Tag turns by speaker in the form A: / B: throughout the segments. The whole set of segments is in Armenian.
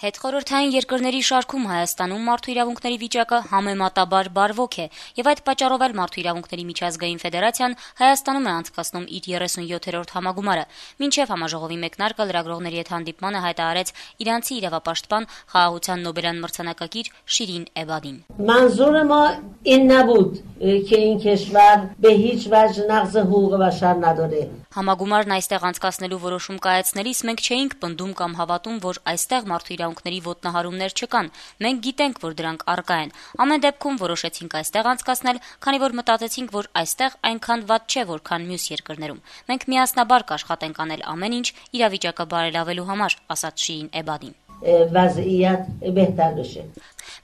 A: Հետխորհրդային երկրների շարքում Հայաստանում մարդու իրավունքների վիճակը համեմատաբար բարվոք է, եւ այդ պատճառով էլ Մարդու իրավունքների միջազգային ֆեդերացիան Հայաստանում է անցկացնում իր 37-րդ համագումարը։ Մինչեւ համաժողովի մեկնարկը լրագրողների հետ հանդիպմանը հայտարարեց իրանցի իրավապաշտպան խաղաղության Նոբելյան մրցանակակիր Շիրին Էբադին։
B: منظور ما این نبود که این کشور به هیچ وجه نقض حقوق بشر نداره.
A: Համագումարն այստեղ անցկացնելու որոշում կայացնելիս մենք չէինք պնդում կամ հավատում, որ այստեղ մարդու իրավունքների ոտնահարումներ չկան։ Մենք գիտենք, որ դրանք առկա են։ Ամեն դեպքում որոշեցինք այստեղ անցկացնել, քանի որ մտածեցինք, որ այստեղ այնքան վատ չէ, որքան մյուս երկրներում։ Մենք միասնաբար կաշխատենք անել ամեն ինչ իրավիճակը բարելավելու համար, ասաց Շիրին Էբադին։
B: وضعیت بهتر بشه.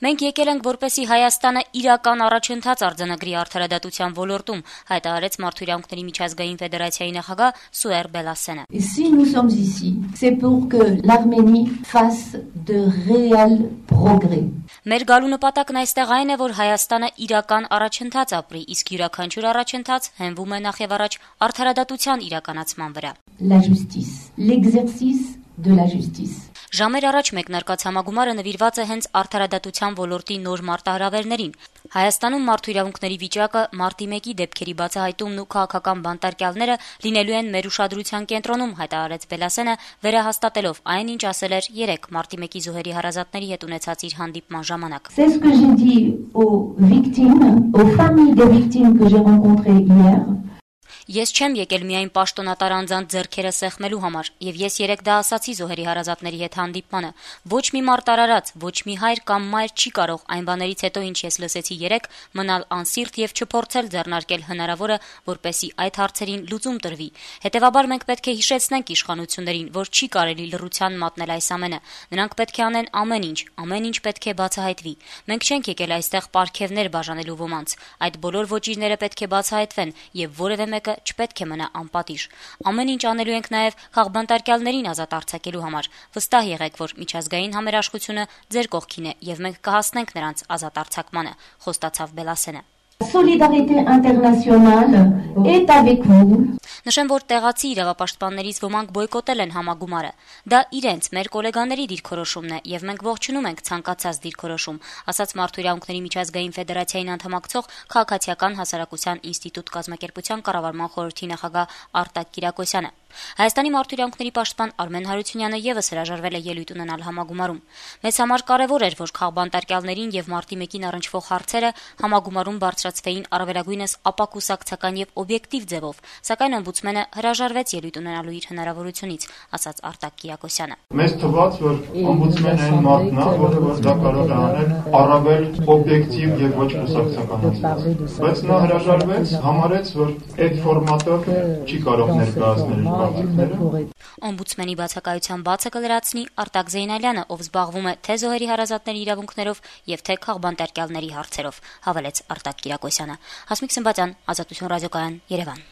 A: Մենք եկել ենք, որպեսզի Հայաստանը իրական առաջընթաց արձանագրի արդարադատության ոլորտում, հայտարարեց Մարդու իրավունքների միջազգային ֆեդերացիայի նախագահ Սուեր Բելասենը։
C: Si nous sommes ici, c'est pour que l'Arménie fasse de réels progrès.
A: Մեր գալու նպատակն այստեղ այն է, որ Հայաստանը իրական առաջընթաց ապրի, իսկ յուրաքանչյուր առաջընթաց հենվում է նախևառաջ արդարադատության իրականացման վրա։
C: La justice, l'exercice de la justice.
A: Ժամեր առաջ մեկնարկած համագումարը նվիրված է հենց արդարադատության ոլորտի նոր մարտահրավերներին։ Հայաստանում մարդու իրավունքների վիճակը, մարտի 1-ի դեպքերի բացահայտումն ու քաղաքական բանտարկյալները լինելու են մեր ուշադրության կենտրոնում, հայտարարեց Բելասենը, վերահաստատելով այն, ինչ ասել էր 3 մարտի 1-ի զոհերի հարազատների հետ ունեցած իր հանդիպման ժամանակ։
C: C'est ce que j'ai dit aux victimes, aux familles des victimes que j'ai rencontrées hier.
A: Ես չեմ եկել միայն պաշտոնատար անձանց ձեռքերը սեղմելու համար, եւ ես 3 դա ասացի զոհերի հարազատների հետ հանդիպմանը։ Ոչ մի մարտարարած, ոչ մի հայր կամ մայր չի կարող այն բաներից հետո, ինչ ես լսեցի 3, մնալ անսիրտ եւ չփորձել ձեռնարկել հնարավորը, որպեսի այդ հարցերին լուծում տրվի։ Հետեւաբար մենք պետք է հիշեցնենք իշխանություններին, որ չի կարելի լռության մատնել այս ամենը։ Նրանք պետք է անեն ամեն ինչ պետք է բացահայտվի։ Մենք չենք եկել այստեղ պարգևներ բաժանելու ոմանց։ Այդ բոլոր ոճիրները պետք է բացահայտվեն եւ որևէ մեկը չպետք է մնա անպատիժ։ Ամեն ինչ անելու ենք նաև քաղբանտարկյալներին ազատ արձակելու համար։ Վստահ եղեք, որ միջազգային համերաշխությունը ձեր կողքին է եւ մենք կհասնենք նրանց ազատ արձակմանը, խոստացավ Բելասենը։
C: Solidarité internationale est avec vous.
A: Նշեմ, որ տեղացի իրավապաշտպաններից ոմանք բոյկոտել են համագումարը։ Դա իրենց, մեր գոլեգաների դիրքորոշումն է եւ մենք ողջունում ենք ցանկացած դիրքորոշում, ասաց Մարդու իրավունքների միջազգային ֆեդերացիային անդամակցող Քաղաքացիական հասարակության ինստիտուտ կազմակերպության կառավարման խորհրդի նախագահ Արտակ Կիրակոսյանը։ Հայաստանի մարդու իրավունքների պաշտպան Արմեն Հարությունյանը եւս հրաժարվել է ելույթ ունենալ համագումարում։ Մեզ համար կարեւոր էր, որ քաղբանտարկյալներին եւ մարտի 1-ին առնչվող հարցերը համագումարում բարձրացվեին առավելագույնս ապակուսակցական եւ օբյեկտիվ ձևով, սակայն օմբուդսմենը հրաժարվեց ելույթ ունենալու իր հնարավորությունից, ասաց Արտակ Կիրակոսյանը։
D: Մեզ թվաց, որ օմբուդսմենը այն մարդն է, որը դա կարող է անել առավել օբյեկտիվ եւ ոչ կուսակցականացված։ Բայց նա հրաժարվեց, համարեց, որ այդ ֆորմատով չի կարող ներկայացնել
A: Օմբուդսմենի բացակայության բացը կլրացնի Արտակ Զեյնալյանը, ով զբաղվում է թե զոհերի հարազատների իրավունքներով եւ թե քաղբանտարկյալների հարցերով, հավելեց Արտակ Կիրակոսյանը։ Հասմիկ Սմբատյան, Ազատություն ռադիոկայան, Երևան։